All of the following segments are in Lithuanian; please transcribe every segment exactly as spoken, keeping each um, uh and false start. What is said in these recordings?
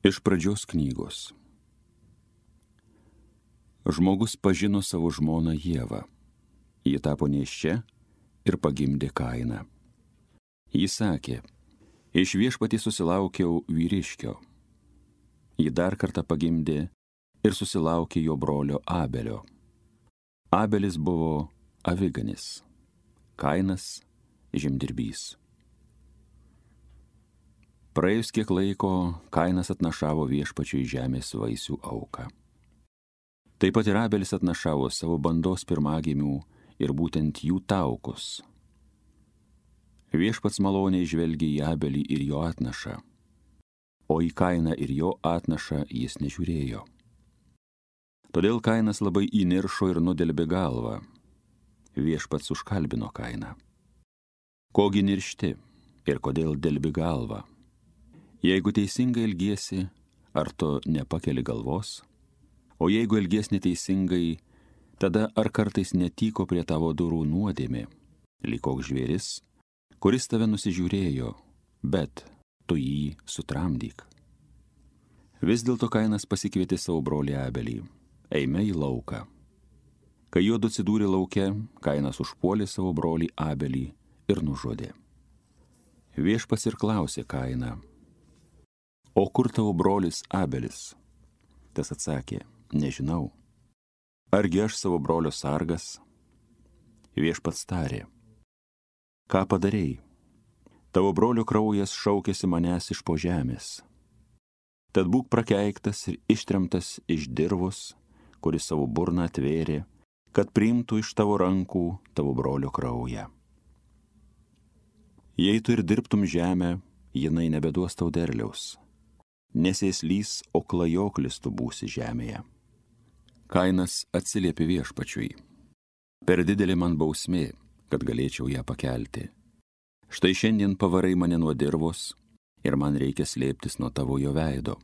Iš pradžios knygos. Žmogus pažino savo žmoną Ievą. Ji tapo nėščia ir pagimdė Kainą. Ji sakė, iš viešpatį susilaukiau vyriškio. Ji dar kartą pagimdė ir susilaukė jo brolio Abelio. Abelis buvo aviganis, Kainas žemdirbys. Praėjus kiek laiko, Kainas atnašavo viešpačiui žemės vaisių auką. Taip pat ir Abelis atnašavo savo bandos pirmagimių ir būtent jų taukus. Viešpats maloniai žvelgė į Abelį ir jo atnašą, o į Kainą ir jo atnašą jis nežiūrėjo. Todėl Kainas labai įniršo ir nudelbė galvą. Viešpats užkalbino Kainą. Kogi niršti ir kodėl delbi galvą? Jeigu teisingai elgiesi, ar tu nepakeli galvos? O jeigu elgies neteisingai, tada ar kartais netyko prie tavo durų nuodėmė, lyg koks žvėris, kuris tave nusižiūrėjo, bet tu jį sutramdyk. Vis dėlto Kainas pasikvietė savo brolį Abelį. Eime į lauką. Kai juodu atsidūrė lauke, Kainas užpuolė savo brolį Abelį ir nužudė. Viešpats ir klausė Kainą, o kur tavo brolis Abelis? Tas atsakė, nežinau. Argi aš savo brolio sargas? Viešpats tarė, ką padarei? Tavo brolio kraujas šaukėsi manęs iš po žemės. Tad būk prakeiktas ir ištremtas iš dirvos, kuris savo burną atvėrė, kad priimtų iš tavo rankų tavo brolio kraują. Jei tu ir dirbtum žemę, jinai nebeduos tau derliaus. Nesėslys, o klajoklis tu būsi žemėje. Kainas atsiliepė viešpačiui. Per didelė man bausmė, kad galėčiau ją pakelti. Štai šiandien pavarai mane nuo dirvos ir man reikia slėptis nuo tavo jo veido.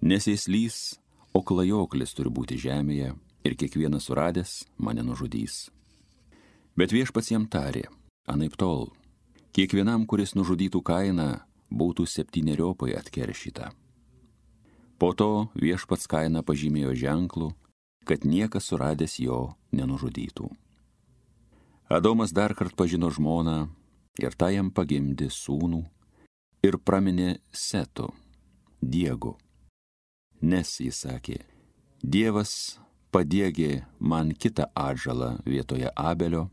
Nesėslys, o klajoklis turi būti žemėje ir kiekvienas suradęs mane nužudys. Bet viešpats jam tarė, anaip tol, kiekvienam, kuris nužudytų Kainą, būtų septyniopai atkeršyta. Po to viešpats Kainą pažymėjo ženklu, kad niekas suradęs jo nenužudytų. Adomas dar kart pažino žmoną ir tą jam pagimdė sūnų ir praminė Setu, Diegu. Nes jis sakė, Dievas padiegė man kitą atžalą vietoje Abelio,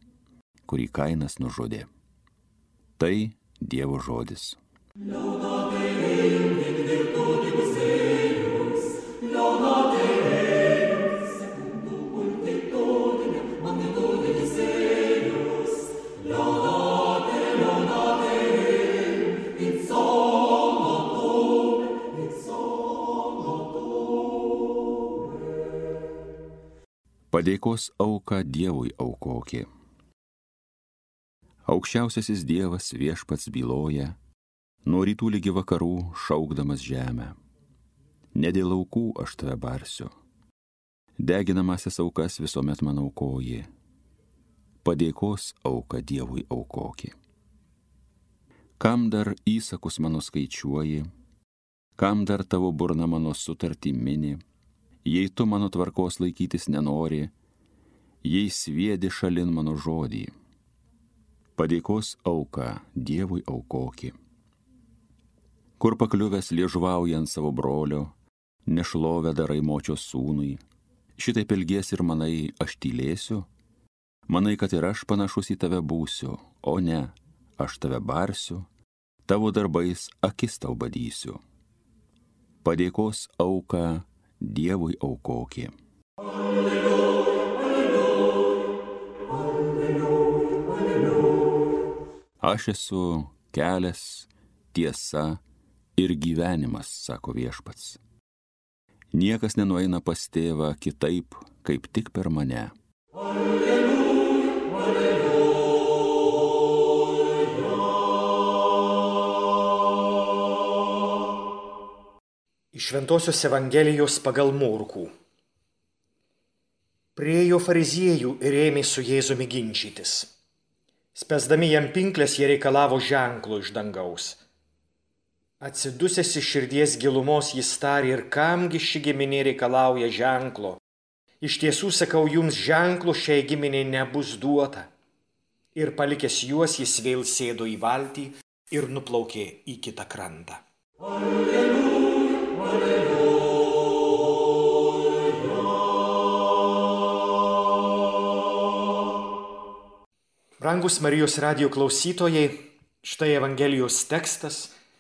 kurį Kainas nužudė. Tai Dievo žodis. Laudate Deum in virtutibus eius, laudate Deum secundum multitudinem magnitudis eius, laudate, laudate Deum in somno tuum, in somno tuum. Padėkos auką Dievui aukokė. Aukščiausiasis Dievas viešpats byloja, nuo rytų lygi vakarų šaukdamas žemę. Ne dėl aukų aš tave barsiu. Deginamasias aukas visuomet man aukoji. Padėkos auką Dievui aukoki. Kam dar įsakus mano skaičiuoji, kam dar tavo burna mano sutartį mini, jei tu mano tvarkos laikytis nenori, jei sviedi šalin mano žodį. Padėkos auką Dievui aukoki. Kur pakliuvęs liežuvaujant savo brolio, nešlovę darai močios sūnui, šitaip elgies ir manai, aš tylėsiu, manai, kad ir aš panašus į tave būsiu, o ne, aš tave barsiu, tavo darbais akis tau badysiu. Padėkos auką Dievui aukoki. Alleluja, alleluja, alleluja, alleluja. Aš esu kelias, tiesa ir gyvenimas, sako viešpats. Niekas nenueina pas tėvą kitaip, kaip tik per mane. Alleluja, alleluja. Iš Šventosios Evangelijos pagal Morkų. Priėjo fariziejų ir ėmė su Jėzumi ginčytis. Spęsdami jam pinklės, jie reikalavo ženklo iš dangaus. Atsidusęs iš širdies gilumos jis tarė, ir kamgi ši giminė reikalauja ženklo. Iš tiesų sakau jums, ženklo šiai giminiai nebus duota. Ir palikęs juos, jis vėl sėdo į valtį ir nuplaukė į kitą krantą. Alleluja, alleluja. Brangus Marijos radijo klausytojai, štai Evangelijos tekstas,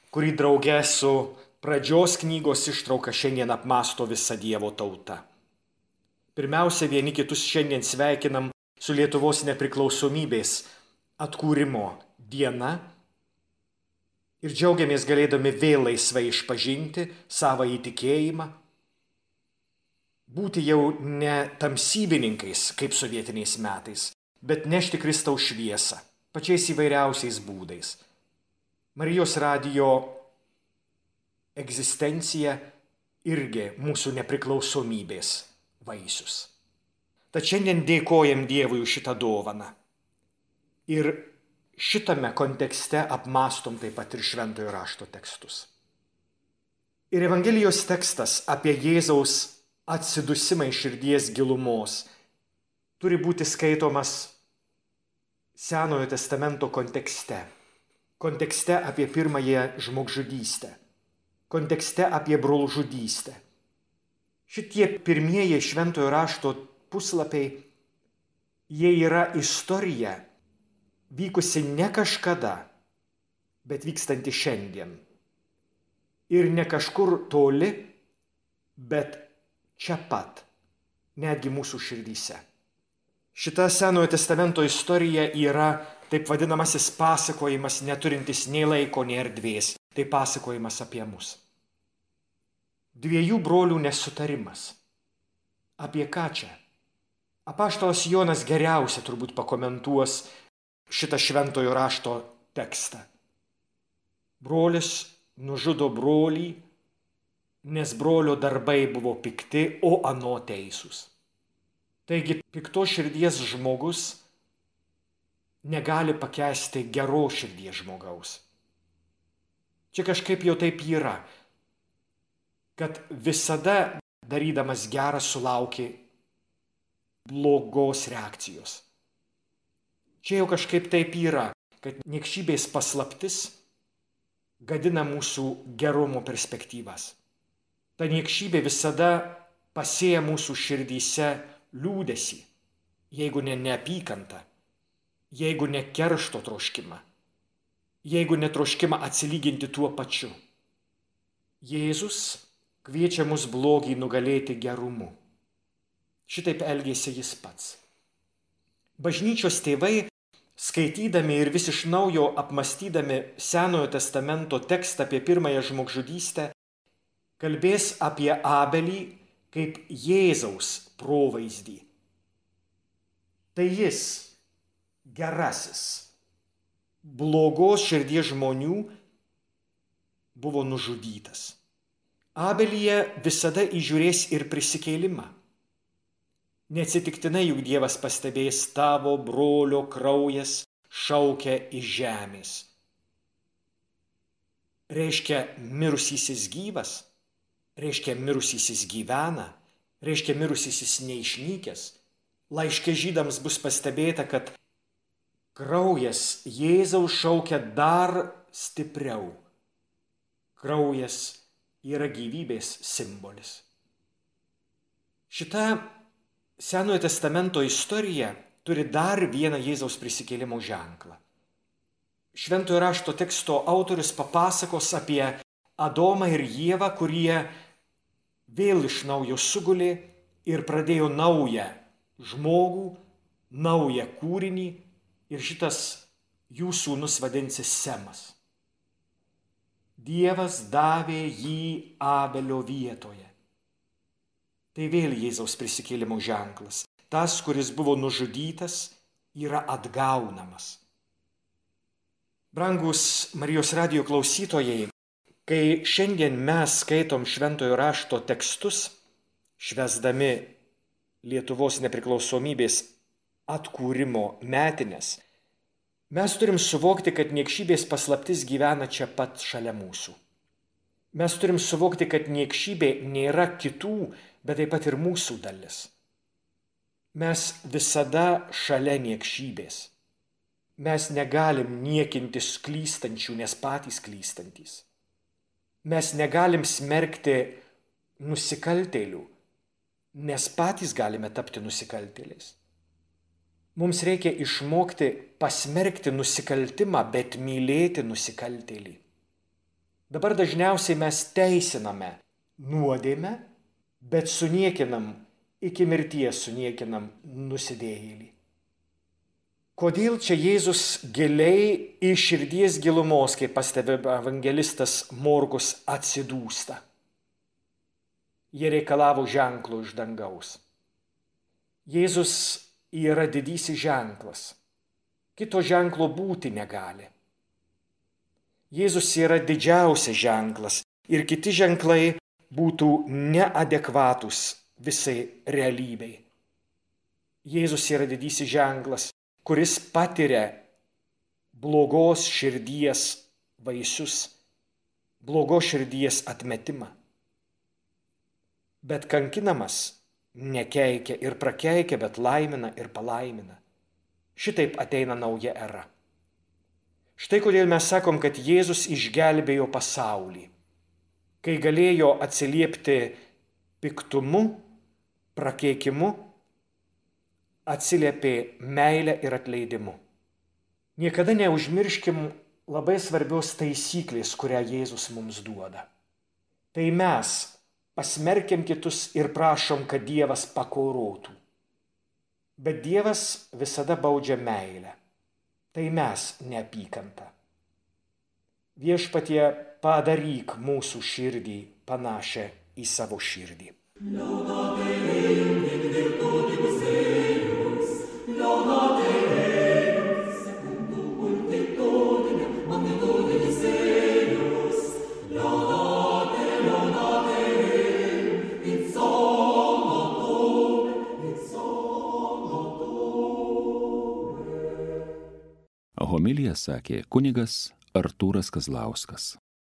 kurį drauge su pradžios knygos ištrauka šiandien apmąsto visa Dievo tauta. Pirmiausia, vieni kitus šiandien sveikinam su Lietuvos nepriklausomybės atkūrimo diena ir džiaugiamės galėdami vėl laisvai išpažinti savo įtikėjimą, būti jau ne tamsybininkais kaip sovietiniais metais, bet nešti Kristaus šviesą pačiais įvairiausiais būdais. Marijos radijo egzistencija irgi mūsų nepriklausomybės vaisius. Tad šiandien dėkojam Dievui už šitą dovaną. Ir šitame kontekste apmąstom taip pat ir Šventojo rašto tekstus. Ir Evangelijos tekstas apie Jėzaus atsidusimą iš širdies gilumos turi būti skaitomas Senojo testamento kontekste. Kontekste apie pirmąją žmogžudystę. Kontekste apie brolžudystę. Šitie pirmieji Šventojo rašto puslapiai, jie yra istorija vykusi ne kažkada, bet vykstanti šiandien. Ir ne kažkur toli, bet čia pat, netgi mūsų širdyse. Šita Senojo testamento istorija yra taip vadinamasis pasakojimas, neturintis nei laiko, nei erdvės. Tai pasakojimas apie mus. Dviejų brolių nesutarimas. Apie ką čia? Apaštalas Jonas geriausia turbūt pakomentuos šitą Šventojo rašto tekstą. Brolis nužudo brolį, nes brolio darbai buvo pikti, o ano teisūs. Taigi pikto širdies žmogus negali pakęsti geros širdies žmogaus. Čia kažkaip jau taip yra, kad visada darydamas gerą sulauki blogos reakcijos. Čia jau kažkaip taip yra, kad niekšybės paslaptis gadina mūsų gerumo perspektyvas. Ta niekšybė visada pasėja mūsų širdyse liūdesį, jeigu ne neapykantą, jeigu ne keršto troškimą, jeigu netroškimą atsilyginti tuo pačiu. Jėzus kviečia mus blogį nugalėti gerumu. Šitaip elgėsi jis pats. Bažnyčios tėvai, skaitydami ir vis iš naujo apmąstydami Senojo testamento tekstą apie pirmąją žmogžudystę, kalbės apie Abelį kaip Jėzaus provaizdį. Tai jis, gerasis, blogos širdies žmonių, buvo nužudytas. Abelyje visada įžiūrės ir prisikėlimą. Neatsitiktinai juk Dievas pastebės, tavo brolio kraujas šaukia iš žemės. Reiškia, mirusysis gyvas, reiškia, mirusysis gyvena, reiškia, mirusysis neišnykęs. Laiške žydams bus pastebėta, kad kraujas Jėzaus šaukia dar stipriau. Kraujas yra gyvybės simbolis. Šita Senojo testamento istorija turi dar vieną Jėzaus prisikėlimo ženklą. Šventojo rašto teksto autorius papasakos apie Adomą ir Ievą, kurie vėl iš naujo sugulė ir pradėjo naują žmogų, naują kūrinį, ir šitas jų sūnus vadinsis Semas. Dievas davė jį Abelio vietoje. Tai vėl Jėzaus prisikėlimo ženklas. Tas, kuris buvo nužudytas, yra atgaunamas. Brangus Marijos radijo klausytojai, kai šiandien mes skaitom Šventojo rašto tekstus, švęsdami Lietuvos nepriklausomybės atkūrimo metines, mes turim suvokti, kad niekšybės paslaptis gyvena čia pat šalia mūsų. Mes turim suvokti, kad niekšybė nėra kitų, bet taip pat ir mūsų dalis. Mes visada šalia niekšybės. Mes negalim niekintis klystančių, nes patys klystantys. Mes negalim smerkti nusikaltėlių, nes patys galime tapti nusikaltėliais. Mums reikia išmokti pasmerkti nusikaltimą, bet mylėti nusikaltėlį. Dabar dažniausiai mes teisiname nuodėmę, bet suniekinam, iki mirties suniekinam nusidėjėlį. Kodėl čia Jėzus giliai iš širdies gilumos, kaip pastebi evangelistas Morkus, atsidūsta? Jie reikalavo ženklo iš dangaus. Jėzus yra didysis ženklas. Kito ženklo būti negali. Jėzus yra didžiausias ženklas ir kiti ženklai būtų neadekvatus visai realybei. Jėzus yra didysis ženklas, kuris patiria blogos širdies vaisius, blogos širdies atmetimą. Bet kankinamas nekeikia ir prakeikia, bet laimina ir palaimina. Šitaip ateina nauja era. Štai kodėl mes sakom, kad Jėzus išgelbėjo pasaulį, kai galėjo atsiliepti piktumu, prakeikimu, atsiliepė meilę ir atleidimu. Niekada neužmirškim labai svarbios taisyklės, kurią Jėzus mums duoda. Tai mes pasmerkiam kitus ir prašom, kad Dievas pakorotų. Bet Dievas visada baudžia meilę. Tai mes neapykantą. Viešpatie, padaryk mūsų širdį panašią į savo širdį. Homiliją sakė kunigas Artūras Kazlauskas.